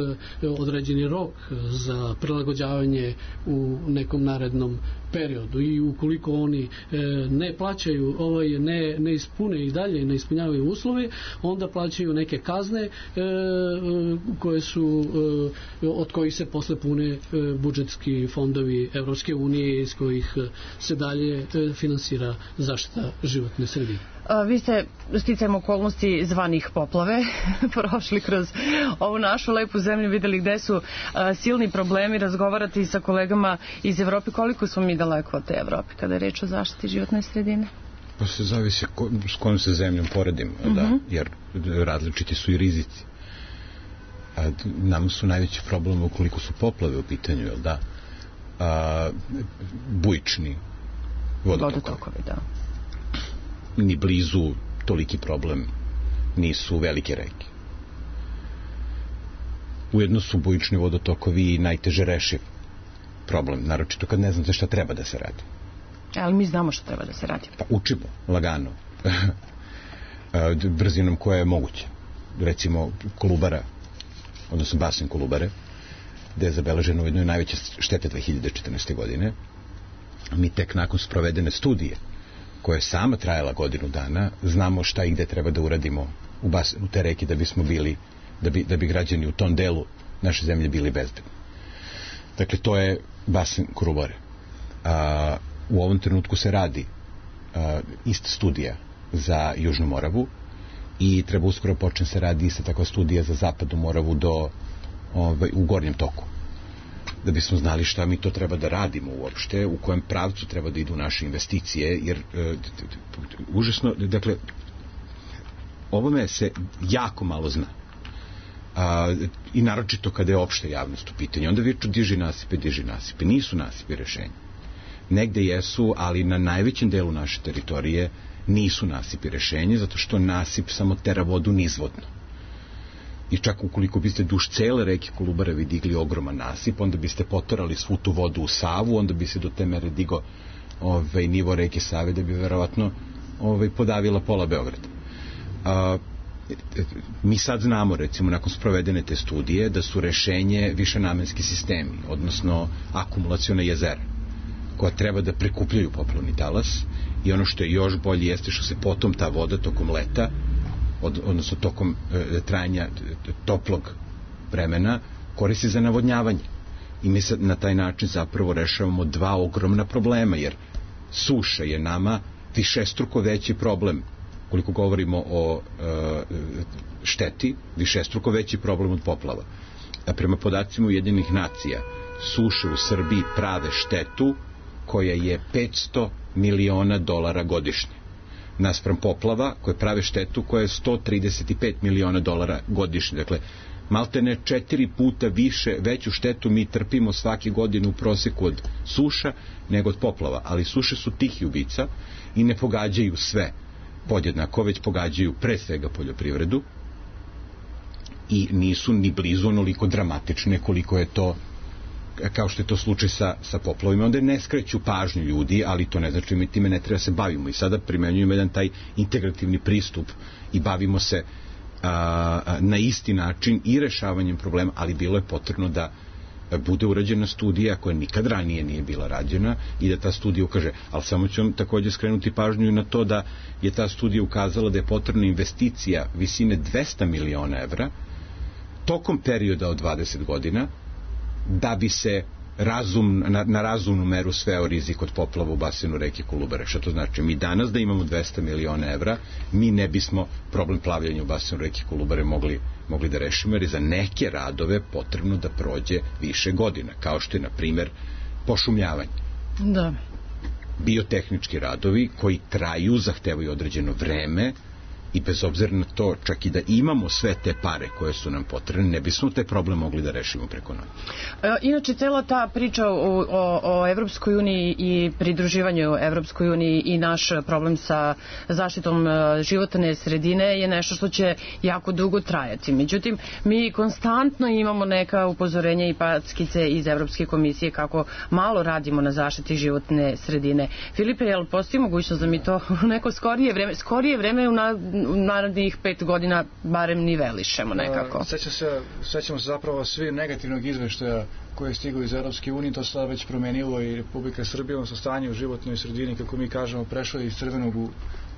određeni rok za prilagođavanje u nekom narednom periodu i ukoliko oni ne plaćaju, ovaj, ne, ne ispune i dalje ne ispunjavaju uslove, onda plaćaju neke kazne e, koje su e, od kojih se posle pune e, budžetski fondovi Evropske unije iz kojih se dalje e, finansira zaštita životne sredine. A, vi ste sticajem okolnosti zvanih poplave prošli kroz ovu našu lepu zemlju, videli gde su a, silni problemi, razgovarati sa kolegama iz Evrope. Koliko smo mi daleko od te Evrope kada je reč o zaštiti životne sredine? Pa se zavisi ko, s kojom se zemljom poredimo, uh-huh. da, jer različiti su i rizici. A, nam su najveći problem ukoliko su poplave u pitanju, jel da? A, bujični vodotokovi. Vodotokovi, da. Ni blizu toliki problem nisu velike reke. Ujedno su bujični vodotokovi i najteže rešiv problem, naročito kad ne znate šta treba da se radi. Ali mi znamo što treba da se radi. Pa učimo, lagano. Brzinom koja je moguća. Recimo Kolubara, odnosno basen Kolubare, gde je zabeleženo u jednoj najveće štete dve hiljade četrnaeste. godine. Mi tek nakon sprovedene studije, koja je sama trajala godinu dana, znamo šta i gde treba da uradimo u, basen, u te reke da bismo bili, da bi, da bi građani u tom delu naše zemlje bili bezbedni. Dakle, to je basen Kolubare. A u ovom trenutku se radi uh, ista studija za Južnu Moravu i treba uskoro počne se radi ista takva studija za Zapadnu Moravu do, ovaj, u gornjem toku. Da bismo znali šta mi to treba da radimo uopšte, u kojem pravcu treba da idu naše investicije, jer uh, užasno, dakle, ovome se jako malo zna. Uh, I naročito kada je opšta javnost u pitanju. Onda viču diži nasipe, diži nasipe. Nisu nasipe rešenja. negde jesu, ali na najvećem delu naše teritorije nisu nasipi rešenje, zato što nasip samo tera vodu nizvodno. I čak ukoliko biste duž cele reke Kolubare vi digli ogroman nasip, onda biste potorali svu tu vodu u Savu, onda bi se do te mere digo ovaj, nivo reke Save, da bi verovatno ovaj, podavila pola Beograda. A, mi sad znamo, recimo, nakon sprovedene te studije, da su rešenje višenamenski sistemi, odnosno akumulaciona jezera, koja treba da prikupljaju poplavni talas, i ono što je još bolje jeste što se potom ta voda tokom leta, od, odnosno tokom e, trajanja toplog vremena, koristi za navodnjavanje. I mi sad na taj način zapravo rešavamo dva ogromna problema, jer suša je nama višestruko veći problem, koliko govorimo o e, šteti, višestruko veći problem od poplava. A prema podacima Ujedinjenih nacija, suše u Srbiji prave štetu koja je petsto miliona dolara godišnje. Naspram poplava koje prave štetu koja je sto trideset pet miliona dolara godišnje. Dakle, maltene četiri puta više, veću štetu mi trpimo svake godine u proseku od suša nego od poplava. Ali suše su tihi ubica i ne pogađaju sve podjednako, već pogađaju pre svega poljoprivredu i nisu ni blizu onoliko dramatične koliko je to, kao što je to slučaj sa, sa poplavima. Onda ne skreću pažnju ljudi, ali to ne znači mi time ne treba se bavimo. I sada primenjujemo jedan taj integrativni pristup i bavimo se a, a, na isti način i rešavanjem problema, ali bilo je potrebno da bude urađena studija koja nikad ranije nije bila rađena i da ta studija ukaže. Ali samo ću vam takođe skrenuti pažnju na to da je ta studija ukazala da je potrebna investicija visine dvesta miliona evra tokom perioda od dvadeset godina da bi se razum, na, na razumnu meru sveo rizik od poplava u basenu reke Kolubare. Šta to znači? Mi danas da imamo dvesta miliona evra, mi ne bismo problem plavljanja u basenu reke Kolubare mogli, mogli da rešimo, jer je za neke radove potrebno da prođe više godina, kao što je, na primer, pošumljavanje. Da. Biotehnički radovi koji traju, zahtevaju određeno vreme, i bez obzira na to, čak i da imamo sve te pare koje su nam potrebne, ne bismo taj problem mogli da rešimo preko noći. Inače, cela ta priča o, o, o Evropskoj uniji i pridruživanju Evropskoj uniji i naš problem sa zaštitom životne sredine je nešto što će jako dugo trajati. Međutim, mi konstantno imamo neka upozorenja i packice iz Evropske komisije kako malo radimo na zaštiti životne sredine. Filipe, je li postoji mogućnost da mi to u neko skorije vreme, skorije vreme u na narednih pet godina barem nivelišemo nekako? Sećam se, sećamo se zapravo svi negativnog izveštaja koje je stiglo iz Europske unije, to se sada već promenilo i Republika Srbija, odnosno stanje u životnoj sredini, kako mi kažemo, prešlo iz crvenog u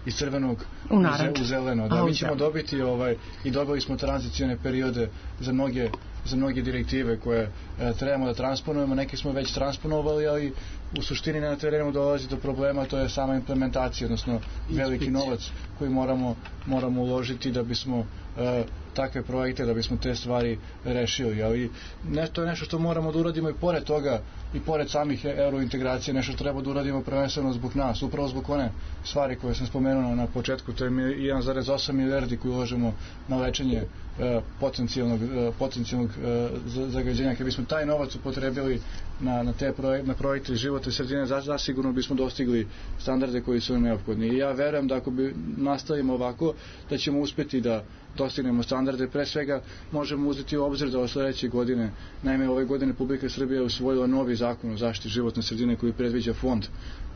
iz crvenog u, u zeleno. Da, mi ćemo dobiti ovaj, i dobili smo tranzicione periode za mnoge, za mnoge direktive koje e, trebamo da transponujemo, neke smo već transponovali, ali u suštini na terenu dolazi do problema, to je sama implementacija, odnosno veliki novac koji moramo, moramo uložiti da bismo e, takve projekte, da bismo te stvari rešili, ali ne, to je nešto što moramo da uradimo i pored toga, i pored samih eurointegracije, nešto što treba da uradimo prvenstveno zbog nas, upravo zbog one stvari koje sam spomenuo na početku, to je jedan zarez osam milijardi koji uložimo na lečenje e, potencijalnog, e, potencijalnog e, zagađenja. Kad bismo taj novac upotrebili na, na te projekte, na projekte životne sredine, zasigurno bismo dostigli standarde koji su neophodni. I ja verujem da ako bi nastavimo ovako, da ćemo uspeti da dostignemo standarde. Pre svega možemo uzeti u obzir da od sledeće godine, naime ove godine Republika Srbija usvojila novi zakon o zaštiti životne sredine koji predviđa fond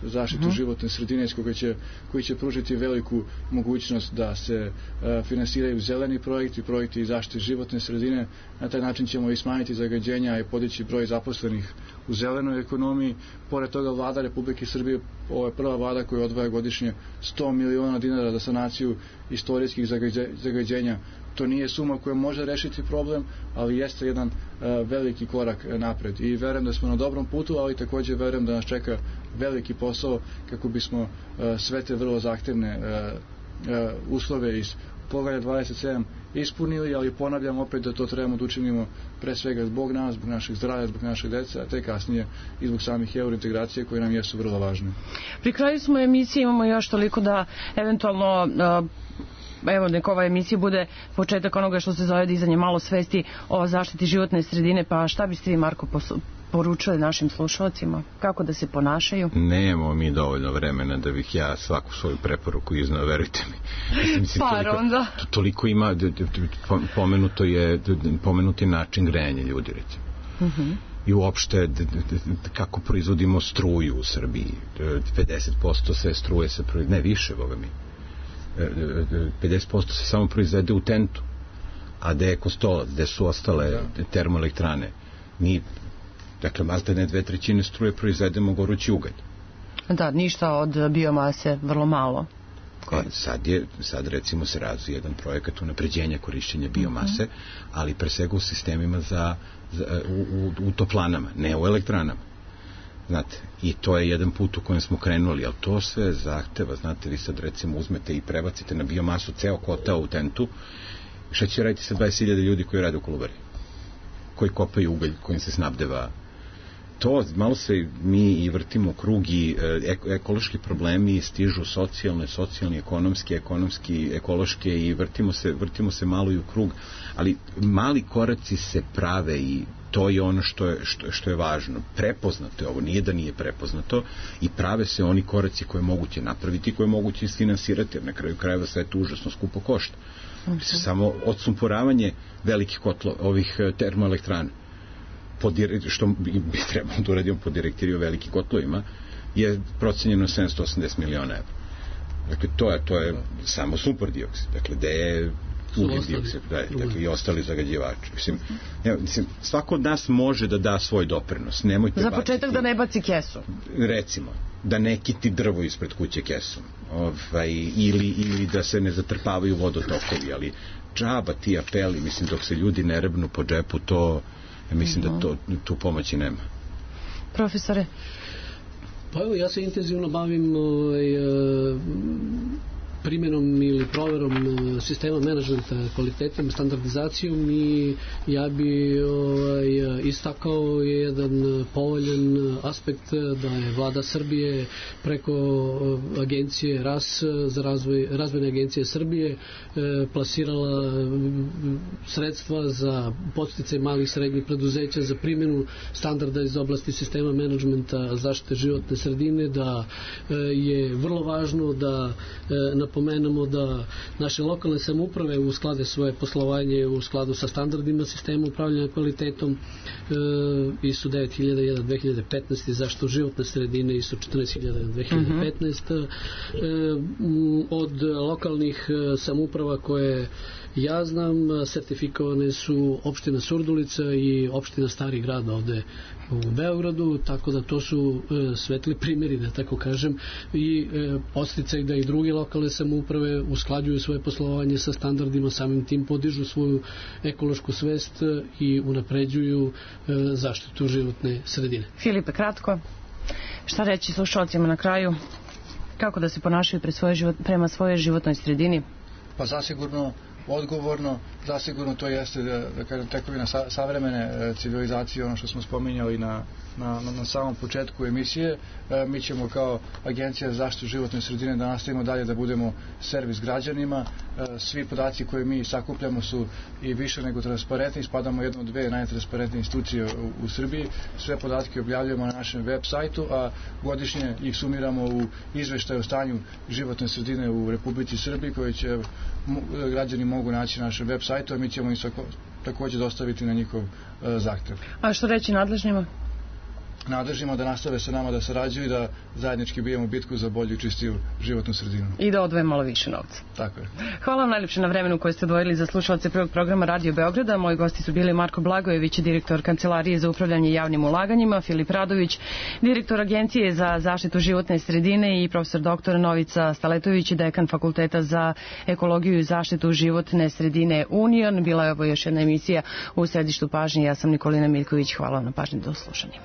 za zaštitu uh-huh. životne sredine koji će, koji će pružiti veliku mogućnost da se uh, finansiraju zeleni projekti, projekti zaštite životne sredine. Na taj način ćemo i smanjiti zagađenja i podići broj zaposlenih u zelenoj ekonomiji. Pored toga, vlada Republike Srbije, ovo je prva vlada koja odvaja godišnje sto miliona dinara za sanaciju istorijskih zagađenja. To nije suma koja može rešiti problem, ali jeste jedan uh, veliki korak napred. I verujem da smo na dobrom putu, ali takođe verujem da nas čeka veliki posao kako bismo uh, sve te vrlo zahtevne uh, uh, uslove iz poglavlja dvadeset sedam ispunili, ali ponavljam opet da to trebamo da učinimo pre svega zbog nas, zbog naših zdravlja, zbog naših dece, a te kasnije i zbog samih eurointegracije koje nam jesu vrlo važne. Pri kraju smo emisije, imamo još toliko da eventualno uh, evo, neka ova emisija bude početak onoga što se zove dizanje malo svesti o zaštiti životne sredine, pa šta biste vi, Marko, poručili našim slušalcima? Kako da se ponašaju? Nemamo mi dovoljno vremena da bih ja svaku svoju preporuku iznao, verujte mi. Mislim, Par toliko, onda. Toliko ima, pomenuto je, pomenuti način grejanja ljudi, recimo. Uh-huh. I uopšte kako proizvodimo struju u Srbiji. pedeset posto sve struje se proizvede, ne više, boga mi. pedeset posto se samo proizvede u Tentu. A gde je Kostolac, gde su ostale termoelektrane? Mi, dakle, malte ne dve trećine struje proizvedemo gorući ugalj. Da, ništa od biomase, vrlo malo. E, sad, je, sad recimo se razvije jedan projekat unapređenja korišćenja biomase, uh-huh. ali pre svega u sistemima za, za u, u, u toplanama, ne u elektranama. Znate, i to je jedan put u kojem smo krenuli, ali to sve zahteva, znate, vi sad recimo uzmete i prebacite na biomasu ceo kotao u Tentu. Šta će raditi sa dvadeset hiljada ljudi koji rade u Kolubari? Koji kopaju ugalj, kojim se snabdeva? To, malo se mi i vrtimo u krug i e, ekološki problemi stižu socijalne, socijalni, ekonomski, ekonomski, ekološke i vrtimo se, vrtimo se malo i u krug, ali mali koraci se prave i to je ono što je, što, što je važno. Prepoznato je ovo, nije da nije prepoznato i prave se oni koraci koje je moguće napraviti, koje je moguće isfinansirati, jer na kraju krajeva sve to užasno skupo košta. Okay. Samo odsumporavanje velikih kotlo, ovih termoelektrana, pod, što bi, bi trebalo da uradimo po direktivi o velikim kotlovima, je procenjeno sedamsto osamdeset miliona evra. Dakle, to je, to je samo sumpor dioksid. Dakle, gde je ugljen dioksid, da je, dakle, i ostali zagađivači. Mislim, ja, mislim, svako od nas može da da svoj doprinos. Nemojte za početak baciti, da ne baci kesu. Recimo, da ne kiti drvo ispred kuće kesom. Ovaj, ili, ili da se ne zatrpavaju vodotokovi, ali džaba ti apeli, mislim, dok se ljudi ne rebnu po džepu, to, ja mislim uh-huh. da to, tu pomoći nema. Profesore? Pa evo, ja se intenzivno bavim ovaj, primjenom ili proverom sistema menadžmenta kvalitetom, standardizacijom i ja bi ovaj, istakao jedan povoljan aspekt da je vlada Srbije preko agencije R A S za razvoj, razvojne agencije Srbije plasirala sredstva za podsticaj malih i srednjih preduzeća za primjenu standarda iz oblasti sistema menadžmenta zaštite životne sredine, da je vrlo važno da napomenemo da naše lokalne samouprave usklade svoje poslovanje u skladu sa standardima sistema upravljanja kvalitetom e, I S O devet hiljada jedan dve hiljade petnaeste zaštitu životne sredine I S O četrnaest hiljada jedan dve hiljade petnaeste mm-hmm. e, od lokalnih samouprava koje ja znam sertifikovane su opština Surdulica i opština Stari grad ovde u Beogradu, tako da to su e, svetli primjeri, da tako kažem, i e, podsticaj da i druge lokalne samouprave usklađuju svoje poslovanje sa standardima, samim tim podižu svoju ekološku svest i unapređuju e, zaštitu životne sredine. Filipe, kratko, šta reći slušalcima na kraju? Kako da se ponašaju pre svoje život, prema svojoj životnoj sredini? Pa zasigurno odgovorno, zasigurno to jeste da, da kažem tekovina sa, savremene civilizacije, ono što smo spominjali na, na, na samom početku emisije. E, mi ćemo kao Agencija za zaštitu životne sredine da nastavimo dalje da budemo servis građanima. E, svi podaci koje mi sakupljamo su i više nego transparentni, spadamo u jednu od dve najtransparentnije institucije u, u Srbiji. Sve podatke objavljujemo na našem web sajtu, a godišnje ih sumiramo u izveštaju o stanju životne sredine u Republici Srbiji, koji će građani mogu naći na našem web sajtu, a mi ćemo im također dostaviti na njihov e, zahtev. A što reći nadležnima? Nadležnima da nastave sa nama da sarađuju i da zajednički bijemo bitku za bolju i čistiju životnu sredinu. I da odvoje malo više novca. Tako je. Hvala vam najljepše na vremenu koje ste odvojili za slušalce prvog programa Radio Beograda. Moji gosti su bili Marko Blagojević, direktor Kancelarije za upravljanje javnim ulaganjima, Filip Radović, direktor Agencije za zaštitu životne sredine i profesor doktor Novica Staletović, dekan Fakulteta za ekologiju i zaštitu životne sredine Union. Bila je ovo još jedna emisija u središtu pažnje. Ja sam Nikolina Miljković. Hvala vam na pažnji, do slušanja.